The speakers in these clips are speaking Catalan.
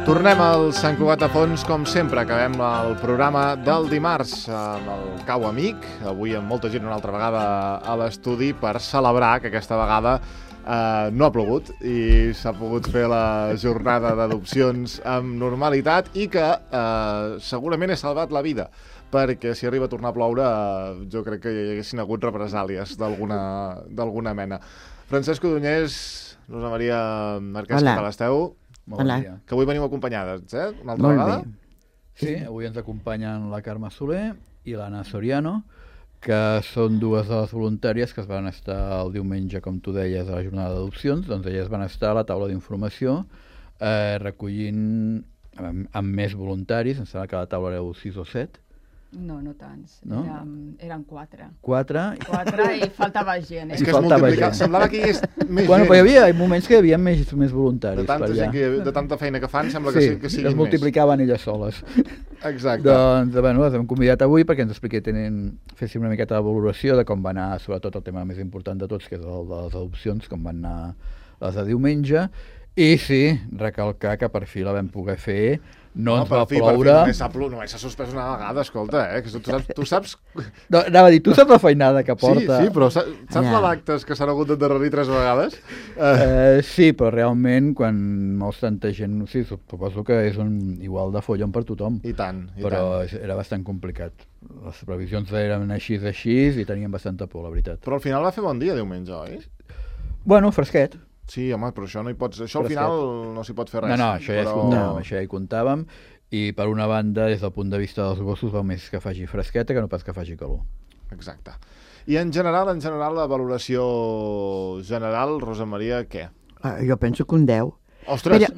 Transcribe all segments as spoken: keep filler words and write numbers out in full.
Tornem al Sant Cugat a Fons, com sempre. Acabem el programa del dimarts amb el Cau Amic. Avui amb molta gent una altra vegada a l'estudi per celebrar que aquesta vegada eh, no ha plogut i s'ha pogut fer la jornada d'adopcions amb normalitat i que eh, segurament he salvat la vida, perquè si arriba a tornar a ploure eh, jo crec que hi haguessin hagut represàlies d'alguna d'alguna mena. Francesc Codonyés, Rosa Maria Marquès, què tal esteu? Molt bon dia. Que avui veniu acompanyades, eh? Una altra Molt vegada? Bé. Sí, avui ens acompanyen la Carme Soler i l'Anna Soriano, que són dues de les voluntàries que es van estar el diumenge, com tu deies, a la jornada d'adopcions. Doncs elles van estar a la taula d'informació eh, recollint amb, amb més voluntaris. Em sembla que a la taula éreu sis o set. No, no tants. No? Érem, eren quatre. Quatre. Quatre i faltava gent. Eh? És que es faltava multiplicava. gent. Semblava que hi hagués més Bueno, gent. però hi havia moments que hi havia més, més voluntaris. De tanta, per allà. gent que, de tanta feina que fan, sembla que, Sí, sí, que siguin es multiplicaven elles soles. més. Exacte. Doncs, bueno, les hem convidat avui perquè ens expliqui, tenen, féssim una miqueta de valoració de com va anar, sobretot el tema més important de tots, que és el de les adopcions, com van anar les de diumenge. I sí, recalcar que per fi la vam poder fer. No, no ens va per fi, ploure. Per fi, només s'ha plo... només s'ha suspès una vegada, escolta, eh? Que tu saps... Tu saps... No, anava a dir, tu saps la feinada que porta? Sí, sí, però saps, saps Ja. la d'actes que s'han hagut d'endarrerir tres vegades? Eh, Eh, sí, però realment, quan mous tanta gent, sí, suposo que és un igual de follon per tothom. I tant, i però tant. era bastant complicat. Les previsions eren així així i teníem bastanta por, la veritat. Però al final va fer bon dia diumenge, oi? Bueno, fresquet. Sí, home, però això no hi pots... Això al Fresquet. final no s'hi pot fer res. No, no, això ja hi però... comptàvem, això ja hi comptàvem. I per una banda, des del punt de vista dels gossos, val més que faci fresqueta que no pas que faci calor. Exacte. I en general, en general, la valoració general, Rosa Maria, què? Ah, jo penso que un deu. Ostres! Ella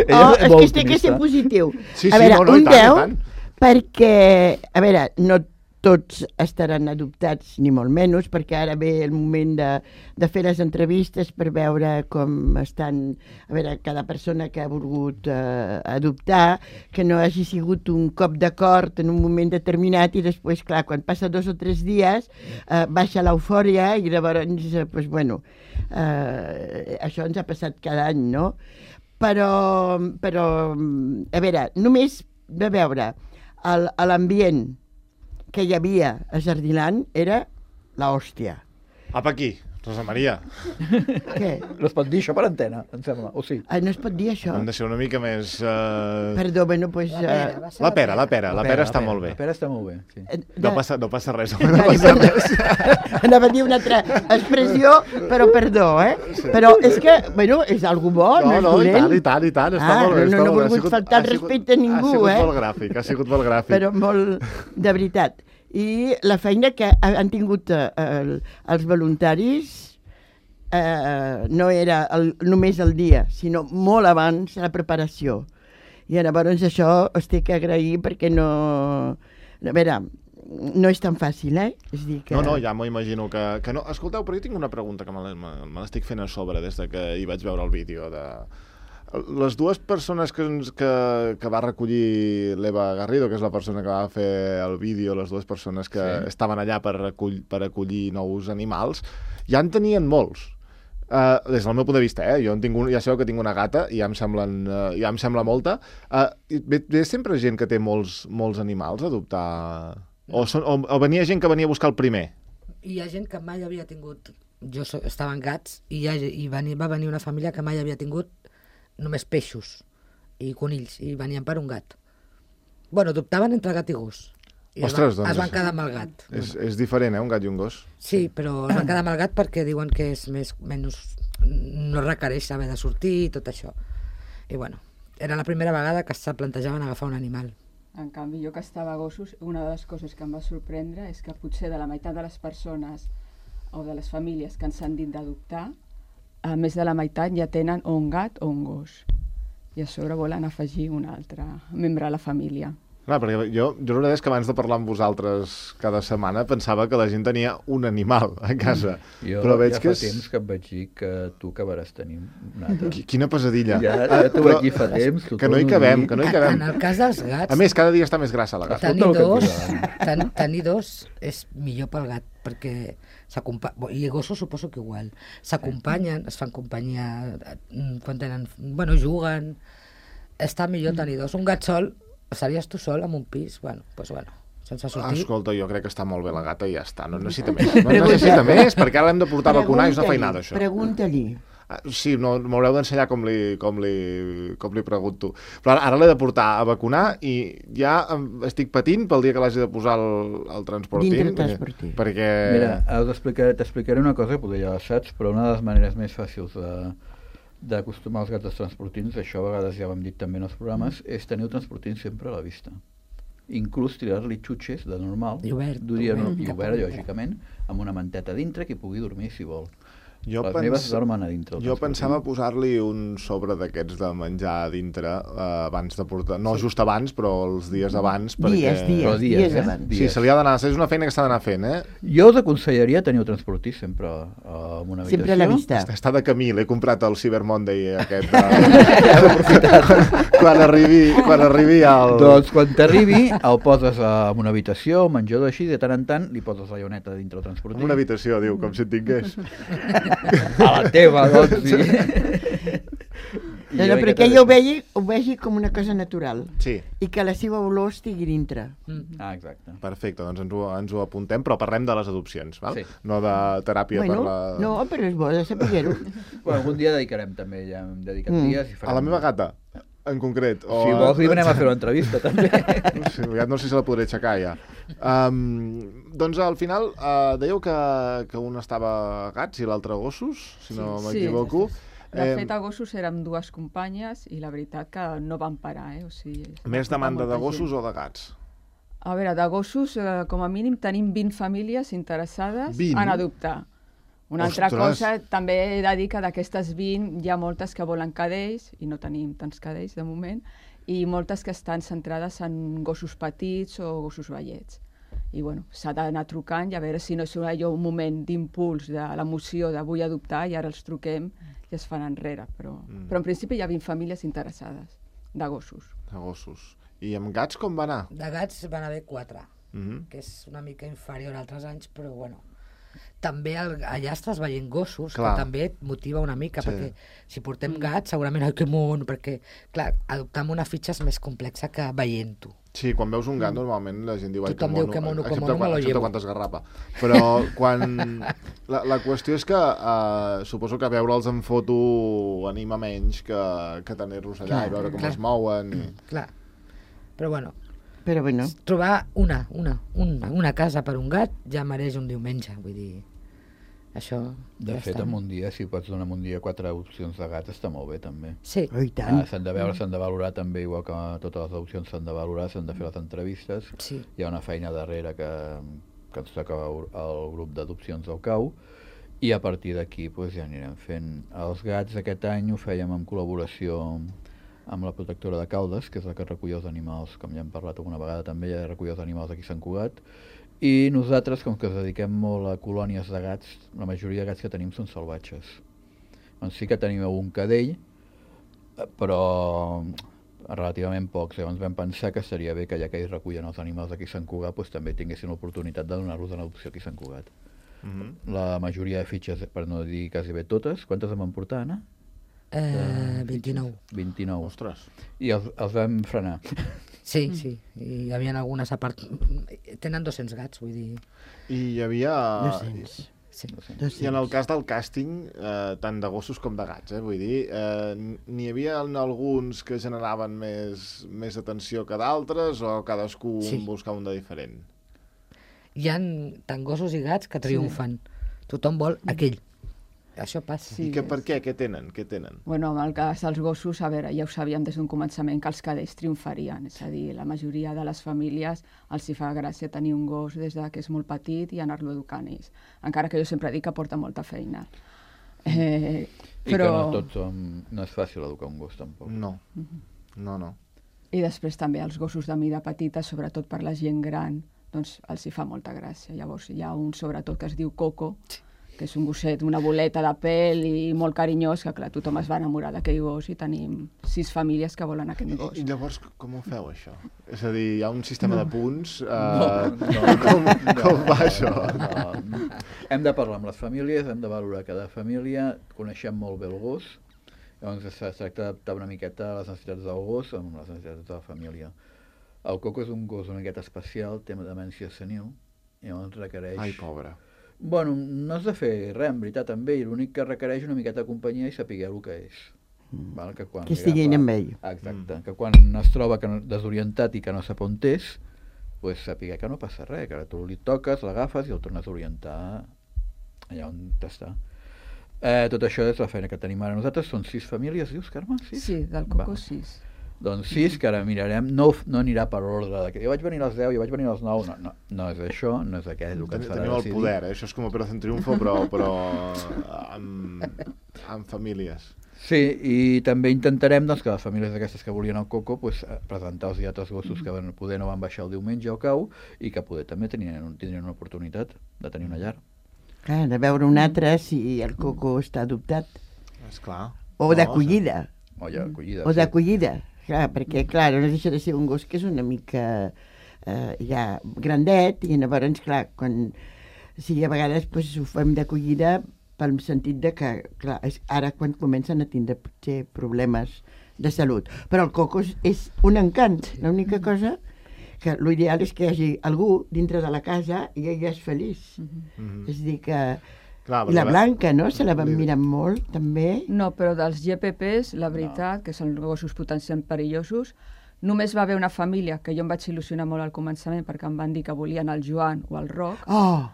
Oh, és és molt que es té que ser optimista. positiu. Sí, a sí, veure, no, no, i un tant, i deu, tant. perquè, a veure, no tots estaran adoptats, ni molt menys, perquè ara ve el moment de, de fer les entrevistes per veure com estan, a veure, cada persona que ha volgut eh, adoptar, que no hagi sigut un cop d'acord en un moment determinat i després, clar, quan passa dos o tres dies, eh, baixa l'eufòria i llavors, eh, pues, bueno, eh, això ens ha passat cada any, no? Però, però a veure, només de veure el- l'ambient que hi havia a Jardiland era l'hòstia. Apa aquí, Rosa Maria. Què? No es pot dir això per antena, em sembla, o sí? Ah, no es pot dir això? Hem de ser una mica més... Uh... Perdó, bueno, doncs... La pera, Uh, va ser La pera, la pera, la pera està la molt bé. La pera està molt bé, sí. No passa, no passa res. No Vale, passa perdó. res. Anava a dir una altra expressió, però perdó, eh? Però és que, bueno, és algú bo, no, No, és no, i dolent. tant, i tant, i tant, està Ah, molt bé. no, està no he molt bé. Ha volgut sigut- faltar ha el sigut- respecte a ningú, Ha sigut eh? molt gràfic, ha sigut molt gràfic. Però molt de veritat. I la feina que han tingut eh, el, els voluntaris eh, no era el, només el dia, sinó molt abans la preparació. I llavors això es té que agrair perquè no... A veure, no és tan fàcil, eh? És dir que... No, no, ja m'ho imagino que, que no. Escolteu, però jo tinc una pregunta que me l'he- me me l'estic fent a sobre des de que hi vaig veure el vídeo de... Les dues persones que, ens- que, que va recollir l'Eva Garrido, que és la persona que va fer el vídeo, les dues persones que Sí. estaven allà per, recull, per acollir nous animals, ja en tenien molts. Uh, des del meu punt de vista, eh? Jo en tinc un, ja sabeu que tinc una gata i ja em, semblen, uh, ja em sembla molta. Uh, ve, ve sempre gent que té molts, molts animals a adoptar? O, són, o, o venia gent que venia a buscar el primer? Hi ha gent que mai havia tingut... Jo so, estava en gats i, hi ha, i veni, va venir una família que mai havia tingut només peixos i conills, i venien per un gat. Bueno, adoptaven entre gat i gos. I Ostres, es van, doncs es van quedar amb el gat. És, és diferent, eh, un gat i un gos. Sí, però es van quedar amb el gat perquè diuen que és més, menys, no requereix haver de sortir i tot això. I bueno, era la primera vegada que se plantejaven agafar un animal. En canvi, jo que estava a gossos, una de les coses que em va sorprendre és que potser de la meitat de les persones o de les famílies que ens han dit d'adoptar, a més de la meitat ja tenen o un gat o un gos. I a sobre volen afegir un altre membre a la família. Clar, perquè jo, jo la veritat és que abans de parlar amb vosaltres cada setmana pensava que la gent tenia un animal a casa. Jo Però veig ja que fa és... temps que et vaig dir que tu acabaràs tenint un altre. Qui- Quina pesadilla. Ja, ja t'ho Però vaig dir fa temps. t'ho que no hi torno a cabem, dir. que no hi En, cabem. en el cas dels gats, A més, cada dia està més grassa la gata. tenir Escolta el que dos, et diuen. ten, tenir dos és millor pel gat, perquè s'acompanyen, i gossos suposo que igual, s'acompanyen, es fan companyia eh, quan tenen, bueno, juguen, està millor tenir dos. Un gat sol, estaries tu sol en un pis, bueno, doncs bueno, sense sortir. Escolta, jo crec que està molt bé la gata i ja està, no necessita més. No necessita més, perquè ara l'hem de portar a vacunar i és una feinada, això. Pregunta-li. Ah, sí, no, m'haureu d'ensenyar com li, com, li, com li pregunto. Però ara, ara l'he de portar a vacunar i ja estic patint pel dia que l'hagi de posar al, al transportín. Dintre transportín. Perquè... Mira, t'explicaré una cosa que potser ja la saps, però una de les maneres més fàcils de d'acostumar els gats als transportins, això a vegades ja ho hem dit també en els programes, és tenir el transportín sempre a la vista. Inclús tirar-li xutxes de normal, I obert, duria, no, obert, i obert, lògicament, amb una manteta dintre que hi pugui dormir si vol. Jo, Les pens... meves dormen a dintre. jo pensava posar-li un sobre d'aquests de menjar a dintre eh, abans de portar... No, sí. just abans, però els dies abans, perquè... Dies, dies, Però dies, dies eh? abans. Dies. Sí, se li ha d'anar... És una feina que s'ha d'anar fent, eh? Jo us aconsellaria tenir el transportí sempre uh, en una habitació. Sempre a la vista. Està, està de camí, l'he comprat al Cyber Monday aquest. De... quan arribi, quan arribi al... Doncs quan t'arribi el poses en una habitació, un menjador així, de tant en tant li poses la lloneta dintre el transportí. En una habitació, diu, com si en tingués. A la teva, doncs, sí. No, no, perquè ella ho vegi, ho vegi com una cosa natural. Sí. I que la seva olor estigui dintre. Mm. Ah, exacte. Perfecte, doncs ens ho, ens ho apuntem, però parlem de les adopcions, val? Sí. No de teràpia Bueno, per la... no, però és bo de saber-ho. Bueno, algun dia dedicarem també, ja hem dedicat Mm. dies. I farem... A la meva gata, en concret. O... Si vols, li venem a fer una entrevista, també. Sí, ja no sé si la podré aixecar, ja. Um, doncs al final uh, dèieu que, que un estava a gats i l'altre a gossos, si no Sí, m'equivoco. De Eh, fet, a gossos érem dues companyes i la veritat que no van parar, eh? O sigui, es va Més portar demanda molta de gossos gent. o de gats? A veure, de gossos, eh, com a mínim, tenim vint famílies interessades vint? en adoptar. Una altra Ostres! cosa, també he de dir que d'aquestes vint hi ha moltes que volen cadells, i no tenim tants cadells de moment, i moltes que estan centrades en gossos petits o gossos vellets. I bueno, s'ha d'anar trucant i a veure si no és allò un moment d'impuls, de l'emoció de vull adoptar i ara els truquem i es fan enrere. Però, Mm. però en principi hi ha vint famílies interessades de gossos. De gossos. I amb gats com va anar? De gats van haver quatre, Mm-hmm. que és una mica inferior a altres anys, però bueno. També el, allà estàs veient gossos, Clar. que també et motiva una mica, Sí. perquè si portem gats segurament, ai, que mon, perquè, clar, adoptar amb una fitxa és més complexa que veient-ho. Sí, quan veus un gat normalment la gent diu ai, Tothom que diu mono, que mono, que excepte, mono, me quan, lo excepte llevo. quan t'esgarrapa. Però quan... La, la qüestió és que uh, suposo que veure'ls en foto anima menys que, que tenir-los allà Clar, i veure com clar. es mouen. I... Clar, però bueno, Però bueno, trobar una, una, una, una casa per un gat ja mereix un diumenge, vull dir, això De ja fet, està. en un dia, si pots donar en un dia quatre opcions de gats, està molt bé, també. Sí, oh, i tant. Ah, s'han de veure, s'han de valorar també, igual que totes les opcions s'han de valorar, s'han de fer les entrevistes. sí. Hi ha una feina darrere que, que ens toca el grup d'adopcions del C A U, i a partir d'aquí pues, ja anirem fent. Els gats aquest any ho fèiem en col·laboració amb la protectora de Caldes, que és la que recull els animals, com ja hem parlat alguna vegada també, ja recull els animals aquí a Sant Cugat, i nosaltres, com que ens dediquem molt a colònies de gats, la majoria de gats que tenim són salvatges. Doncs sí que tenim un cadell, però relativament pocs. Llavors vam pensar que seria bé que ja que ells recullen els animals aquí a Sant Cugat, doncs també tinguessin l'oportunitat de donar-los en adopció aquí a Sant Cugat. Mm-hmm. La majoria de fitxes, per no dir quasi bé totes, quantes en van portar, Anna? Eh, vint-i-nou. vint-i-nou. Ostres. I els, els vam frenar. Sí, sí, i hi havia algunes a part... Tenen dos-cents gats, vull dir... I hi havia... dos-cents. Sí. I en el cas del càsting, eh, tant de gossos com de gats, eh, vull dir, eh, n'hi havia alguns que generaven més, més atenció que d'altres o cadascú Sí. buscava un de diferent? Hi ha tant gossos i gats que triomfen. Tothom vol aquell. Això passa. Sí. I que, per què? Què tenen? Què tenen? Bueno, en el cas dels gossos, a veure, ja ho sabíem des d'un començament que els cadells triomfarien, és a dir, la majoria de les famílies els hi fa gràcia tenir un gos des de que és molt petit i anar-lo educant ells, encara que jo sempre dic que porta molta feina. Eh, I però... que no, tots som, no és fàcil educar un gos, tampoc. No. No, no. I després també els gossos de mida petita, sobretot per la gent gran, doncs els hi fa molta gràcia. Llavors hi ha un sobretot que es diu Coco, que és un gosset, una boleta de pèl i molt carinyós, que clar, tothom es va enamorar d'aquell gos i tenim sis famílies que volen aquest gos. I llavors, com ho feu, això? És a dir, hi ha un sistema no. de punts? Eh, No, no, com, no, com va això? No, no. Hem de parlar amb les famílies, hem de valorar cada família, coneixem molt bé el gos Llavors es tracta d'adaptar una miqueta a les necessitats del gos amb les necessitats de la família. El Coco és un gos una miqueta especial, té demència senil, i llavors requereix... Ai, pobre. Bueno, no has de fer res, en veritat, amb ell. L'únic que requereix una miqueta de companyia i saber el que és. Mm. Val? Que, quan Que estiguin amb ell. Exacte, Mm. que quan es troba que no, desorientat i que no sap on és, pues, sàpiga que no passa res, que ara tu li toques, l'agafes i el tornes a orientar allà on està. Eh, tot això és la feina que tenim ara. Nosaltres són sis famílies, dius, Carme? Sis? Sí, del Coco Va. sis. Doncs sis, que ara mirarem, no, no anirà per ordre, de que jo vaig venir a les deu, jo vaig venir a les nou, no, no, no és això, no és aquell el que ens farà Teniu el decidir. poder, eh? Això és com Operación Triunfo, però, però amb, amb famílies. Sí, i també intentarem doncs, que les famílies d'aquestes que volien el Coco pues, presentar els altres gossos que van, poder no van baixar el diumenge o cau i que poder també tenien, tindrien una oportunitat de tenir una llar. Clar, de veure un altre si el Coco està adoptat. Esclar. O d'acollida. O ja acollida. O d'acollida. Clar, perquè, clar, no deixa de ser un gos que és una mica eh, ja grandet i llavors, clar, quan, sí, a vegades pues, ho fem d'acollida pel sentit de que, clar, és ara quan comencen a tindre potser problemes de salut. Però el Coco és, és un encant. L'única cosa que l'ideal és que hi hagi algú dintre de la casa i ella és feliç. Mhm. És a dir que... Clar, I la perquè Blanca, no? Se la van Li- mirar molt, també. No, però dels G P Ps, la veritat, no. que són gossos potencialment perillosos, només va haver una família, que jo em vaig il·lusionar molt al començament perquè em van dir que volien el Joan o el Roc. Oh!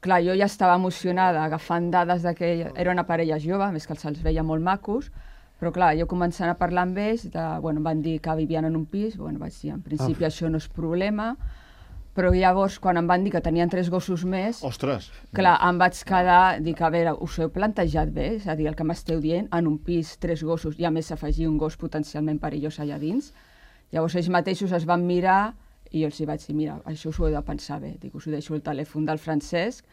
Clar, jo ja estava emocionada agafant dades de que era una parella jove, a més que els veia molt macos, però clar, jo començant a parlar amb ells, de, bueno, em van dir que vivien en un pis, bueno, vaig dir, en principi Oh. això no és problema, però llavors, quan em van dir que tenien tres gossos més, Ostres! clar, em vaig quedar, dic, a veure, us ho heu plantejat bé? És a dir, el que m'esteu dient, en un pis, tres gossos, i a més afegir un gos potencialment perillós allà dins. Llavors ells mateixos es van mirar i jo els hi vaig dir, mira, això us ho heu de pensar bé. Dic, us ho deixo el telèfon del Francesc,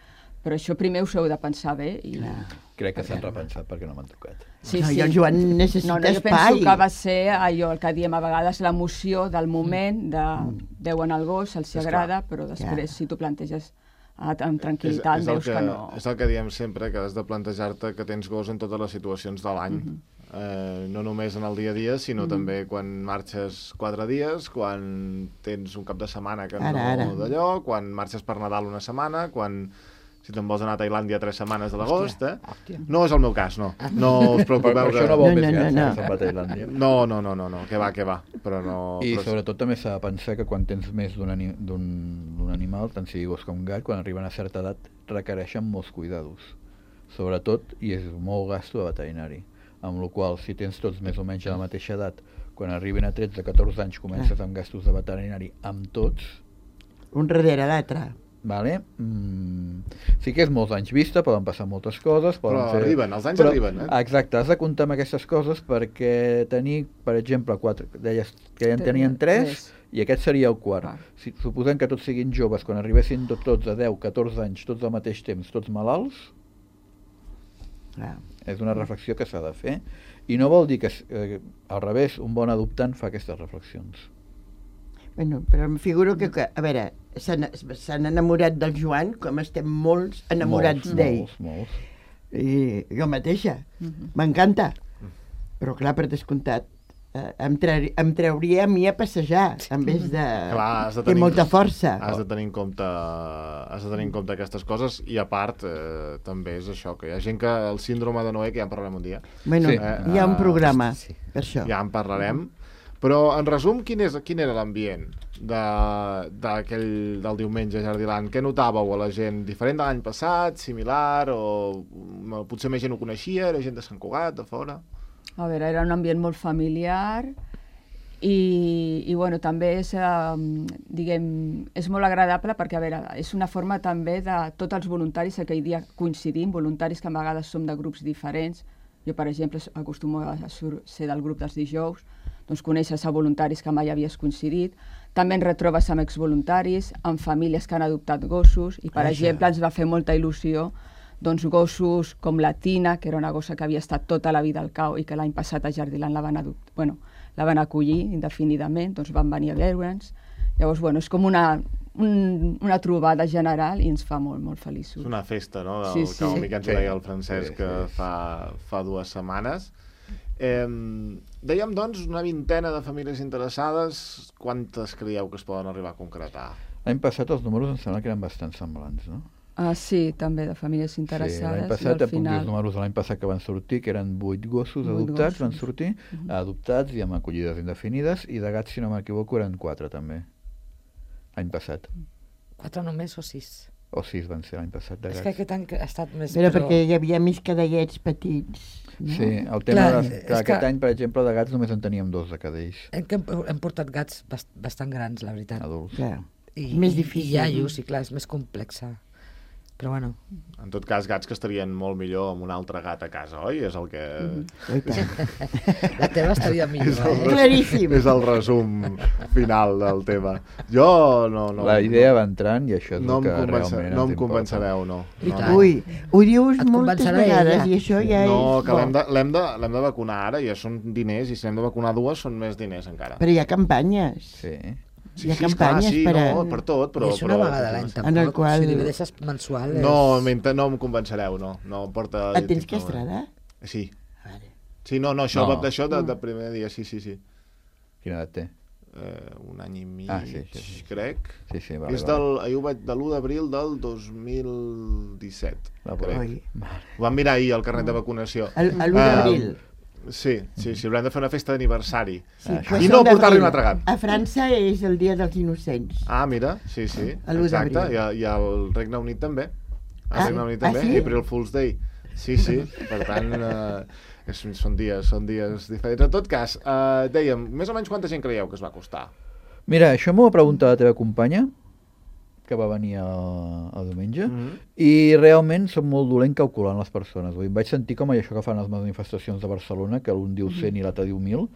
però això primer us ho heu de pensar bé. I... Crec que s'han repensat perquè no m'han trucat. Sí, No, sí. i el Joan necessita no, no, jo espai. penso que va ser allò el que diem a vegades l'emoció del moment, de veuen el gos, els És agrada, però després Clar. si tu planteges ah, amb tranquil·litat, és, és el veus que, que, no... És el que diem sempre, que has de plantejar-te que tens gos en totes les situacions de l'any. eh, no només en el dia a dia, sinó també quan marxes quatre dies, quan tens un cap de setmana que Ara, no ara. d'allò, quan marxes per Nadal una setmana, quan... si te'n vols anar a Tailàndia tres setmanes de l'agost, eh? No és el meu cas, no. No us Per, per preocupeu això no que... vol No, més no, gats, no, no, no. se'n va a Tailàndia. No, no, no, no, no, que va, que va, però no... I però... sobretot també s'ha de pensar que quan tens més d'un ani d'un d'un animal, tant sigui gos com gat, quan arriben a certa edat requereixen molts cuidados. Sobretot, i és molt gasto de veterinari. Amb la qual si tens tots més o menys a la mateixa edat, quan arriben a tretze o catorze anys comences amb gastos de veterinari amb tots, Un darrere l'altre. vale? Mm, sí que és molts anys vista, poden passar moltes coses, poden Però fer... arriben, els anys Però- arriben, eh? Exacte, has de comptar amb aquestes coses perquè tenir, per exemple, quatre, deies que ja en Té- tenien tres, tres. i aquest seria el quart. Quart. Si, suposem que tots siguin joves, quan arribessin tot, tots a deu, catorze anys, tots al mateix temps, tots malalts, Clar. és una reflexió que s'ha de fer. I no vol dir que, eh, al revés, un bon adoptant fa aquestes reflexions. Bueno, però em figuro que, que a veure, s'han s'han enamorat del Joan com estem molts enamorats Molts, d'ell. Molts, molts. I jo mateixa. Mhm. M'encanta. Però clar, per descomptat, eh, em, tre em trauria a mi a passejar en vez de... Clar, has de Té tenir- molta força. Has de tenir en compte, has de tenir en compte aquestes coses i a part eh, també és això, que hi ha gent que el síndrome de Noé, que ja en parlarem un dia, Bueno, Sí. hi ha un Eh, programa sí. per això. ja en parlarem, però en resum, quin, és, quin era l'ambient de, d'aquell del diumenge a Jardiland? Què notàveu a la gent? Diferent de l'any passat, similar, o mm, potser més gent ho coneixia, era gent de Sant Cugat, de fora? A veure, era un ambient molt familiar i, i bueno, també és, eh, diguem, és molt agradable perquè, a veure, és una forma també de tots els voluntaris aquell dia coincidim, voluntaris que a vegades som de grups diferents. Jo, per exemple, acostumo a sur- ser del grup dels dijous, doncs coneixes a voluntaris que mai havies coincidit. També en retrobes amb exvoluntaris, amb famílies que han adoptat gossos, i per Vaja. exemple ens va fer molta il·lusió doncs gossos com la Tina, que era una gossa que havia estat tota la vida al cau i que l'any passat a Jardiland la van, adopt... bueno, la van acollir indefinidament, doncs van venir a veure'ns. Llavors, bueno, és com una, un, una trobada general i ens fa molt, molt feliços. És una festa, no?, del Sí, sí. cau amic que ens ho Sí. deia el Francesc Sí, que sí. fa, fa dues setmanes. Eh, dèiem, doncs, una vintena de famílies interessades. Quantes creieu que es poden arribar a concretar? L'any passat els números em sembla que eren bastant semblants, no? Ah, sí, també, de famílies Sí, interessades. l'any i passat, al em puc dir final... els números de l'any passat que van sortir, que eren vuit gossos Vuit adoptats, gossos. van sortir, Mhm. adoptats i amb acollides indefinides, i de gats, si no m'equivoco, eren quatre també, l'any passat. Quatre només o sis? O sis van ser l'any passat de És gats. que aquest any ha estat més... Però perquè hi havia més cadellets petits. No? Sí, el tema Clar, de, és que aquest que- any, per exemple, de gats només en teníem dos de cadells Hem, que hem, hem portat gats bast bastant grans, la veritat. adults. Clar. I, Més i- difícil. I iaios, i clar, és més complexa. Però bueno, En tot cas, gats que estarien molt millor amb un altre gat a casa, oi? És el que... Oi tant. la teva estaria És millor, el, eh? Claríssim. és el resum final del tema. Jo no... no La idea va entrant i això és no, el que em convença, realment no ens em convencereu, no. I no, tant. no. Ui, ho dius Et moltes convencerà vegades ella. i això ja No, és que bo. l'hem de, l'hem de, l'hem de vacunar ara, ja són diners, i si hem de vacunar dues són més diners encara. Però hi ha campanyes. Sí. hi ha esclar, campanyes sí, per a- no, per tot, però... I és una però, vegada a l'any, tampoc. En el qual- Si divideixes mensual... És... No, mente, no em convencereu, no. No em porta... Et tens que estradar? Sí. Vale. Sí, no, no, això No. va d'això de, de primer dia, sí, sí, sí. Quina edat té? Eh, un any i mig, Ah, sí, sí, sí. crec. Sí, sí, vale, És vale. del, ahir ho vaig, de l'u d'abril del dos mil disset, La crec. Oi. Ho vam mirar ahir, el carnet de vacunació. El- el l'u Ah, d'abril. Sí, sí, sí, haurem de fer una festa d'aniversari. Sí, Ah, però I és no el portar-li d'abril. un altre gat. A França és el dia dels innocents. Ah, mira, sí, sí, A l'u exacte, d'abril. i, a- i al Regne Unit també. Al Ah, Regne Unit ah, també, sí? April Fool's Day. Sí, sí, per tant, eh, és, són dies són dies diferents. En tot cas, eh, dèiem, més o menys quanta gent creieu que es va costar? Mira, això m'ho va preguntar la teva companya, que va venir el, el diumenge, Mhm. i realment som molt dolent calculant les persones. Vull dir, em vaig sentir com això que fan les manifestacions de Barcelona, que l'un diu cent i l'altre diu mil.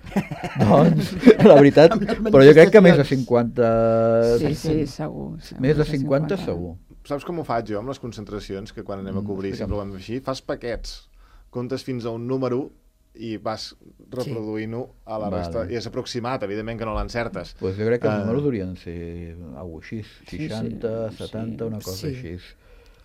Doncs, la veritat, Amb les però jo crec que més de manifestacions. cinquanta... Sí, sí, segur. segur Més de que cinquanta segur. Saps com ho faig jo amb les concentracions, que quan anem a Mm, cobrir explica'm. sempre ho vam fer així? Fas paquets, comptes fins a un número i vas reproduint-ho a la Vale. resta. I és aproximat, evidentment que no l'encertes. Pues jo crec que els Eh, números haurien de ser alguna cosa així, Sí, sí, seixanta, sí. setanta, una cosa Sí. així.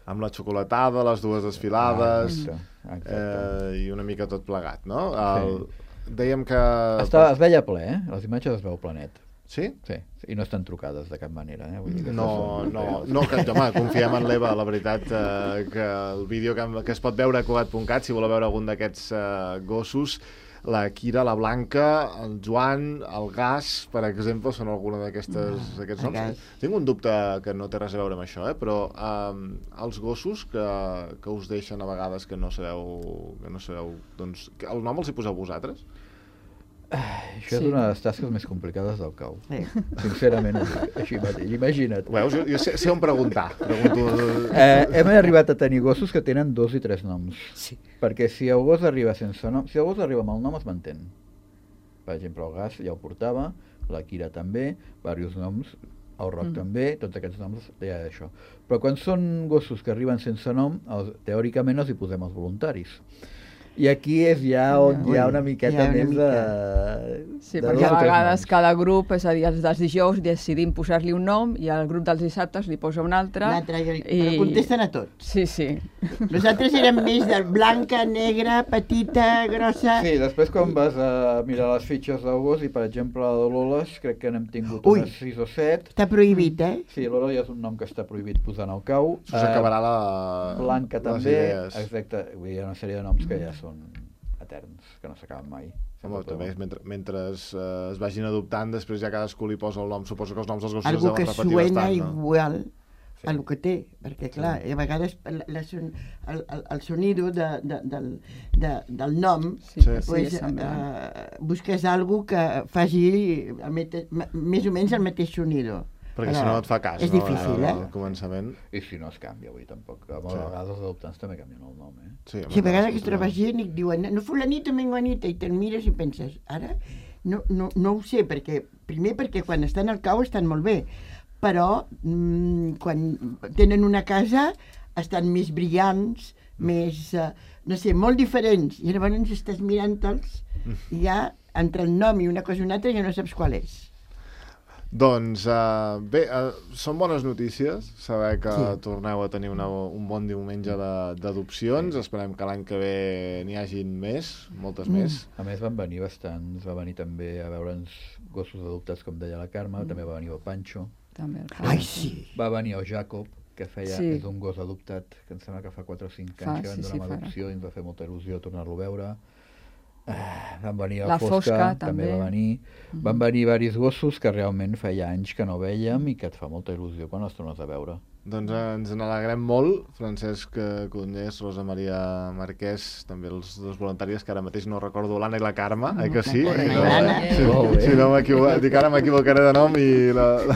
Amb la xocolatada, les dues desfilades, Exacte, exacte. eh, i una mica tot plegat, no? El, Dèiem que... Estava, es veia ple, eh? Les imatges es veu plenet. Sí? Sí, i no estan trucades de cap manera, eh? Vull dir que No, són- no, no, que, home, confiem en l'Eva, la veritat, eh, que el vídeo que, que es pot veure a cugat punt cat, si voleu veure algun d'aquests eh, gossos, la Kira, la Blanca, el Joan, el Gas, per exemple, són alguna d'aquests el noms. Gas. Tinc un dubte que no té res a veure amb això, eh? Però eh, els gossos que, que us deixen a vegades que no sabeu, que no sabeu, doncs, que el nom els hi poseu vosaltres? Això és Sí. una de les tasques més complicades del cau. Eh. Sincerament, així mateix. Imagina't. Veus? Jo, jo sé, sé on preguntar. Pregunto... Eh, hem arribat a tenir gossos que tenen dos i tres noms. Sí. Perquè si el gos arriba sense nom, si el gos arriba amb el nom es mantén. Per exemple, el Gas ja ho portava, la Kira també, diversos noms, el Roc Mm. també, tots aquests noms ja això. Però quan són gossos que arriben sense nom, els, teòricament els hi posem els voluntaris. I aquí és ja on Ui, hi ha una miqueta hi ha una més mica. de... Sí, de perquè dos a o tres vegades noms. cada grup, és a dir, els dels dijous decidim posar-li un nom i el grup dels dissabtes li posa un altre. L'altre, i... però contesten a tots. Sí, sí. Nosaltres érem més de blanca, negra, petita, grossa... Sí, després quan vas a mirar les fitxes del gos i per exemple a Loles crec que n'hem tingut Ui. unes sis o set. Està prohibit, eh? Sí, Lola ja és un nom que està prohibit posar en el cau. Us acabarà la... Blanca les també, idees. exacte. Vull dir, hi ha una sèrie de noms que ja són eterns, que no s'acaben mai. Home, Sempre també, podem- mentre, mentre eh, es vagin adoptant, després ja cadascú li posa el nom. Suposo que els noms dels gossos Algú es que deuen repetir suena bastant, no? igual Sí. a el que té, perquè clar, a vegades la, la son, el, el, el sonido de, de, del, de, del nom Sí, Sí. sí, pues, és semblant. eh, busques algú que faci el mete, m- més o menys el mateix sonido. Perquè Però si no et fa cas, és no? difícil, al, al eh? començament. I si no es canvia, vull dir, tampoc. A Sí. vegades els adoptants també canvien el nom, eh? Sí, home, Si a vegades que sí, es troba gent i et diuen no fulanito, menganita, i te'n mires i penses, ara no, no, no ho sé, perquè primer perquè quan estan al cau estan molt bé, però mm, quan tenen una casa estan més brillants, més, uh, no sé, molt diferents, i llavors estàs mirant-te'ls i ja entre el nom i una cosa i una altra ja no saps qual és. Doncs uh, bé, uh, són bones notícies saber que Sí. torneu a tenir una, un bon diumenge de- d'adopcions. Mm. Esperem que l'any que ve n'hi hagin més, moltes Mm. més. A més van venir bastants, va venir també a veure'ns gossos adoptats, com deia la Carme, Mm. també va venir el Pancho, També el Ai, sí. va venir el Jacob, que feia, Sí. és un gos adoptat, que em sembla que fa quatre o cinc Fa, anys que van sí, donar sí, amb farà. adopció i ens va fer molta il·lusió tornar-lo a veure. Ah, van venir La la Fosca, Fosca, també també. va venir. Van venir diversos gossos que realment feia anys que no veiem i que et fa molta il·lusió quan els tornes a veure. Doncs eh, ens n'alegrem molt, Francesc eh, Conyers, Rosa Maria Marquès, també els dos voluntaris que ara mateix no recordo, l'Anna i la Carme, eh que sí? Correcte. Si no, L'Anna. si, Molt bé. si no m'equivoco, dic ara m'equivocaré de nom i la, la,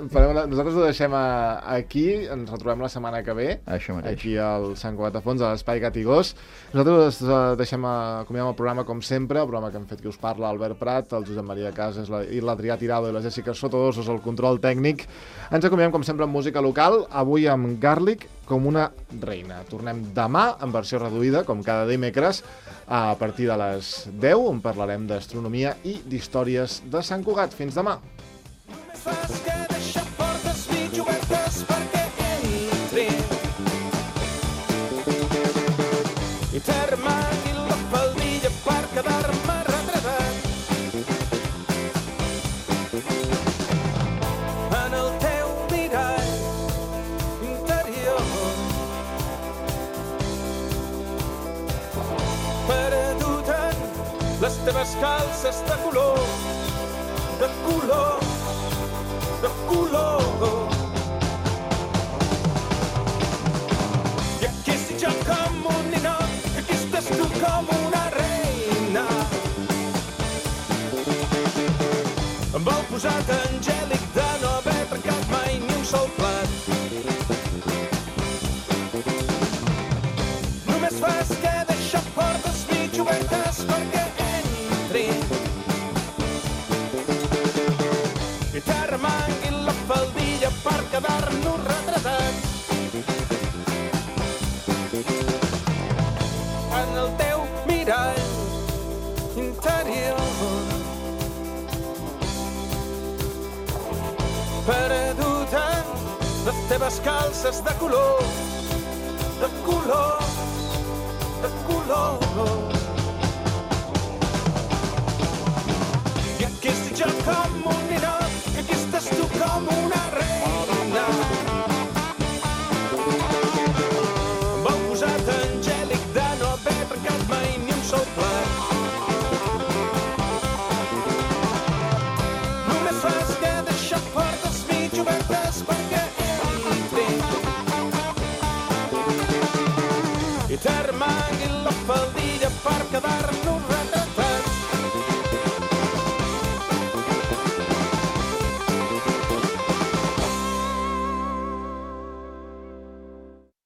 farem una, nosaltres ho deixem a, aquí, ens retrobem la setmana que ve, Això mateix. aquí al Sant Cugat de Fons, a l'Espai Gat i Gos. Nosaltres eh, deixem a, acomiadem el programa com sempre, el programa que hem fet que us parla Albert Prat, el Josep Maria Casas la, i l'Adrià Tirado i la Jessica Sotodosos, el control tècnic. Ens acomiadem com sempre amb música local, avui amb Garlic com una reina. Tornem demà en versió reduïda, com cada dimecres, a partir de les deu, on parlarem d'astronomia i d'històries de Sant Cugat. Fins demà! Només fas que deixar portes mig obertes perquè entri i t'armagui la faldilla per quedar-me retratat en el teu mirall interior perdut en les teves calces de color de color de color. I aquí estic jo com un ninot, aquí estàs tu com una reina. Amb el posat angèlic de no haver trencat mai ni un sol plat. Només fas que deixar portes mig obertes perquè entri i t'armangui la faldilla per quedar-nos retratats en el teu mirall interior perdut en les teves calces de color de color de color